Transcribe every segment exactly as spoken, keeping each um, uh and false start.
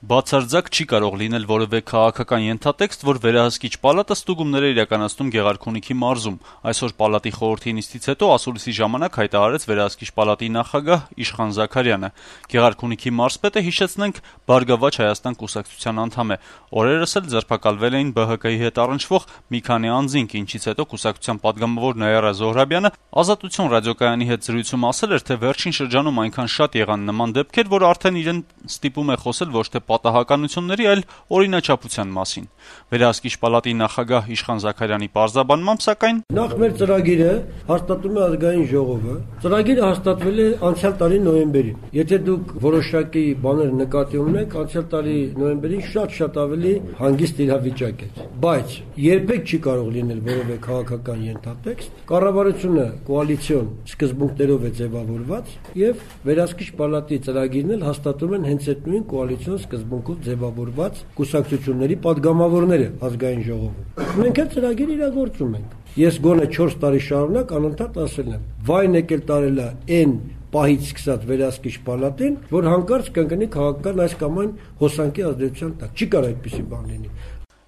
Բացարձակ չի կարող լինել որևէ քաղաքական ենթատեքստ, որ վերահսկիչ պալատը ստուգումներ է իրականացնում Գեղարքունիքի մարզում։ Այսօր պալատի խորհրդի նիստից հետո ասուլիսի ժամանակ հայտարարեց վերահսկիչ պալատի նախագահ Իշխան Զաքարյանը։ Գեղարքունիքի մարզպետը, հիշեցնենք, Բարգավաճ Հայաստան կուսակցության անդամ է։ Օրերս էլ ձերբակալվել էին Բ Հ Կ-ի հետ առնչվող մի քանի անձինք, ինչից հետո կուսակցության պատգամավոր Նաիրա Զոհրաբյանը Ազատություն ռադիոկայանի հետ զրույցում ասել էր, թե վերջին շրջանում այնքան շատ եղան նման դեպքեր, որ արդեն իրեն ստիպում է խոսել ոչ թե պատահականությունների, այլ օրինաչափության մասին։ Վերահսկիչ պալատի նախագահ Իշխան Զաքարյանի պարզաբանմամբ, սակայն նախ մեր ծրագիրը հաստատում է ազգային ժողովը։ Ծրագիրը հաստատվել է անցյալ տարի նոյեմբերին։ Եթե դուք որոշակի բաներ նկատի ունեք, անցյալ տարի նոյեմբերին շատ-շատ ավելի հանգիստ իրավիճակ էր։ Բայց երբեք չի կարող լինել որևէ քաղաքական ենթատեքստ։ Կառավարությունը կոալիցիոն սկզբունքներով է ձևավորված եւ վերահսկիչ պալատի ծրագիրն էլ հաստատում են հենց այդ նույն կոալիցիոն սկզբունքով ձևավորված կուսակցությունների падգամավորները ազգային ժողովում։ Մենք էլ ծրագիր իրագործում ենք։ Ես գոնե չորս տարի շարունակ անընդհատ ասել եմ. «Վայն եկել տարելա այն պահից սկսած վերահսկիչ պալատին, որ հանկարծ կընկնի քաղաքական այս կամ այն հոսանքի ազդեցության տակ։ Չի կարող այդպիսի բան լինի»։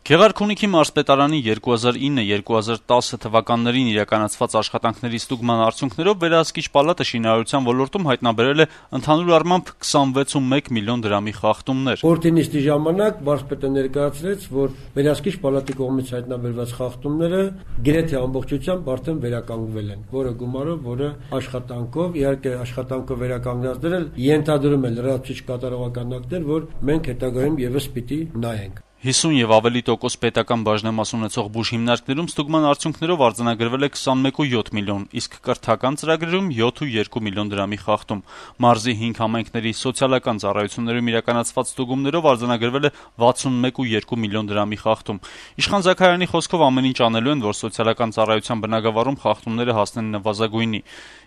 Գեղարքունիքի մարզպետարանի երկու հազար ինը երկու հազար տասը թվականներին իրականացված աշխատանքների ստուգման արդյունքներով վերահսկիչ պալատը շինարարության ոլորտում հայտնաբերել է ընդհանուր առմամբ քսանվեց միլիոն դրամի խախտումներ։ Խորհրդի նիստի ժամանակ մարզպետը ներկայացրեց, որ վերահսկիչ պալատի կողմից հայտնաբերված խախտումները գրեթե ամբողջությամբ արդեն վերականգնվել են, որը գումարով, որը աշխատանքով, իհարկե աշխատանքով վերականգնածներ էլ ենթադրում են լրացուցիչ կատարողական ակտեր, որ մենք հետագայում եւս պիտի նայենք։ հիսուն եւ ավելի տոկոս պետական բաժնեմաս ունեցող բուժ հիմնարկներում ստուգման արդյունքներով արձանագրվել է քսանմեկ կόμμα յոթ միլիոն, իսկ կրթական ծրագրերում յոթ կόμma երկու միլիոն դրամի խախտում։ Մարզի հինգ համայնքների սոցիալական ծառայություններում իրականացված ստուգումներով արձանագրվել է վաթսունմեկ կόμμα երկու միլիոն դրամի խախտում։ Իշխան Զաքարյանի խոսքով ամեն ինչ անելու են, որ սոցիալական ծառայության բնագավառում խախտումները հասնեն նվազագույնի։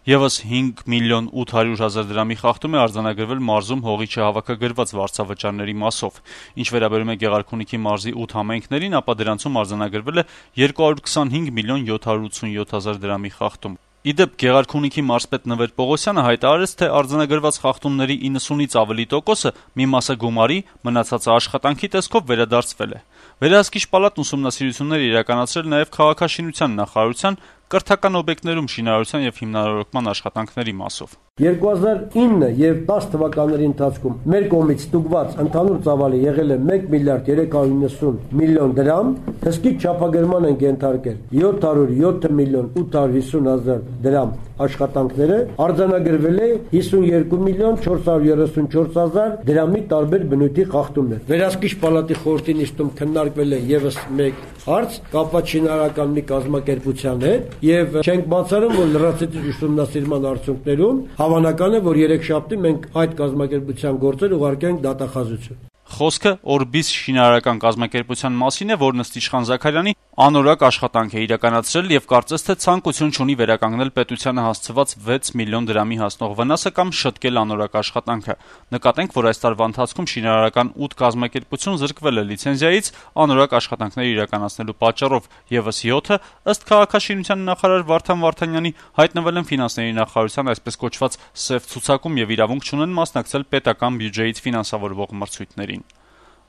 Եվս հինգ միլիոն ութ հարյուր հազար դրամի խախտում է արձանագրվել մարզում հողի չհավաքագրված վարձավճարների մասով։ Ինչ վերաբերում է Գեղարքունիքի մարզի ութ համայնքներին, ապա դրանցում արձանագրվել է երկու հարյուր քսանհինգ միլիոն յոթ հարյուր ութսունյոթ հազար դրամի խախտում։ Իդեպ Գեղարքունիքի մարզպետ Նվեր Պողոսյանը հայտարարեց, թե արձանագրված խախտումների իննսունից ավելի տոկոսը մի մասը գումարի, մնացածը աշխատանքի տեսքով վերադարձվել է։ Վերահսկիչ պալատն ուսումնասիրություններ է իրականացրել նաև քաղաքաշինության նախարարության կրթական օբյեկտներում շինարարության եւ հիմնարարական աշխատանքների մասով։ երկու հազար ինը եւ տասը թվականների ընթացքում մեր կողմից ստուգված ընդհանուր ծավալը եղել է մեկ միլիարդ երեք հարյուր նվսուն միլիոն դրամ, հսկի չափագրման են ենթարկել յոթ հարյուր յոթ միլիոն ութ հարյուր հիսուն հազար դրամ աշխատանքները, արձանագրվել է հիսունյոթ միլիոն չորս հարյուր երեսունչորս հազար դրամի տարբեր բնույթի խախտումներ։ Վերահսկիչ պալատի խորհրդի նիստում քննարկվել է եւս մեկ հարց կապված շինարարական մի կազմակերպության հետ եւ չենք բացառում, որ լրացուցիչ ուսումնասիրման արդյունքներում հավանական է, որ երեքշաբթի մենք այդ կազմակերպության գործեր ուղարկենք դատախազություն։ Խոսքը Օրբիս շինարարական կազմակերպության մասին է, որն ըստ Իշխան Զաքարյանի անորակ աշխատանք է իրականացրել եւ կարծես թե ցանկություն չունի վերականգնել պետությանը հասցված վեց միլիոն դրամի հասնող վնասը կամ շտկել անորակ աշխատանքը։ Նկատենք, որ այս տարվա ընթացքում շինարարական ութ կազմակերպություն զրկվել է լիցենզիայից անորակ աշխատանքներ իրականացնելու պատճառով, եւս յոթը, ըստ քաղաքաշինության նախարար Վարդան Վարդանյանի, հայտնվել են ֆինանսների նախարարության այսպես կոչված սև ցուցակում եւ իրավունք չունեն մասնակցել պետական բյուջեից ֆինանսավորվող մրցույթներին։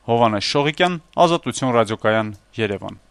Հովհաննես Շողիկյան, Ազատություն ռադիոկայան, Երևան։